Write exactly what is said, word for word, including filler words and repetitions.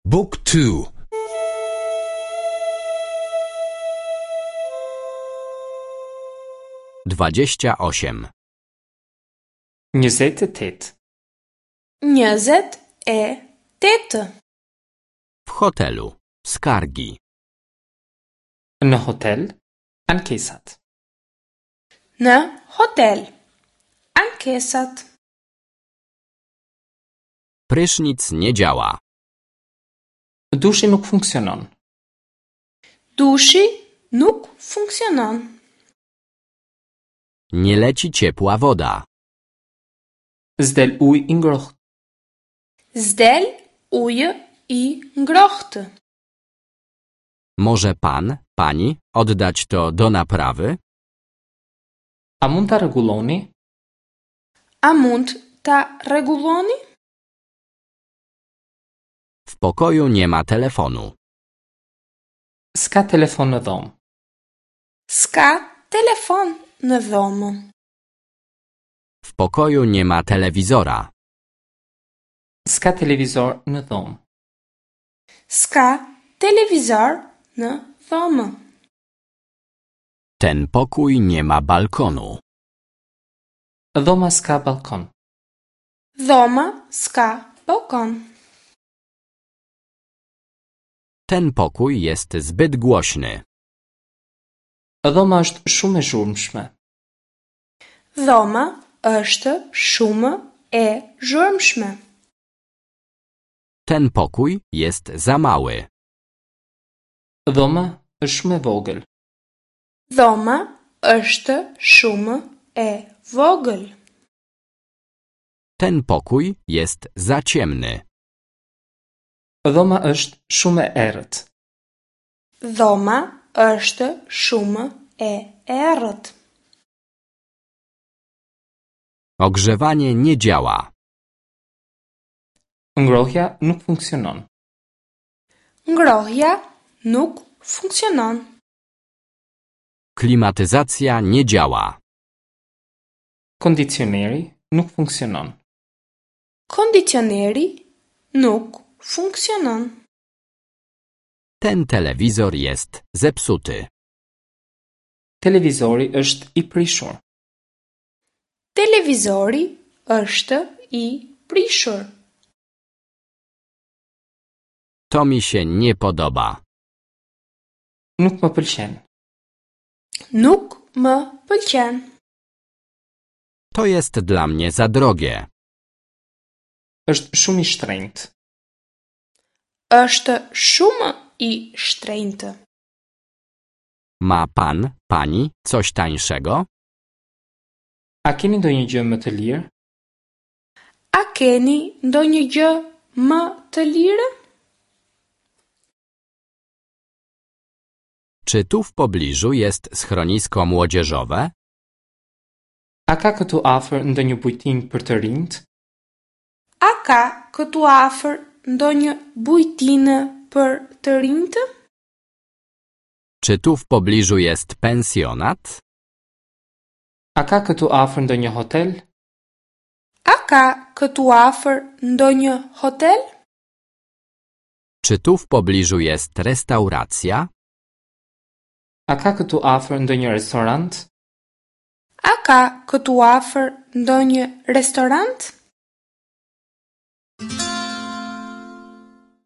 Book two. Dwadzieścia osiem. Njëzet e tetë. Njëzet e tetë. W hotelu. Skargi. Në hotel, ankesat. Në hotel. Ankesat. Prysznic nie działa. Dushi nuk funksionon. Dushi nuk funksionon. Nie leci ciepła woda. S'del ujë i ngrohtë. S'del ujë i ngrohtë. Może pan, pani oddać to do naprawy? A mund ta rregulloni? A mund ta rregulloni? W pokoju nie ma telefonu. S'ka telefon në dhomë. S'ka telefon në dhomë. W pokoju nie ma telewizora. S'ka televizor në dhomë. S'ka televizor në dhomë. Ten pokój nie ma balkonu. Dhoma s'ka balkon. Dhoma s'ka balkon. Ten pokój jest zbyt głośny. Dhoma është shumë e zhurmshme. Dhoma është shumë e zhurmshme. Ten pokój jest za mały. Dhoma është shumë e vogël. Dhoma është shumë e vogël. Ten pokój jest za ciemny. Dhoma është shumë e errët. Dhoma është shumë e errët. Ogrzewanie nie działa. Ngrohja nuk funksionon. Ngrohja nuk funksionon. Klimatyzacja nie działa. Kondicioneri nuk funksionon. Kondicioneri nuk funksionon. Ten telewizor jest zepsuty. Televizori është i prishur. Televizori është i prishur. To mi się nie podoba. Nuk më pëlqen. Nuk më pëlqen. To jest dla mnie za drogie. Është shumë i shtrenjtë. Është shumë i shtrenjtë. Ma pan, pani coś tańszego? A keni ndonjë gjë më të lirë? A keni ndonjë gjë më të lirë? Czy tu w pobliżu jest schronisko młodzieżowe? A ka këtu afër ndonjë bujtin për të rinjt? A ka këtu afër ndonjë bujtinë për të rinjtë? Czy tu w pobliżu jest pensjonat? A ka këtu afër ndonjë hotel? A ka këtu afër ndonjë hotel? Czy tu w pobliżu jest restauracja? A ka këtu afër ndonjë restorant? A ka këtu afër ndonjë restorant?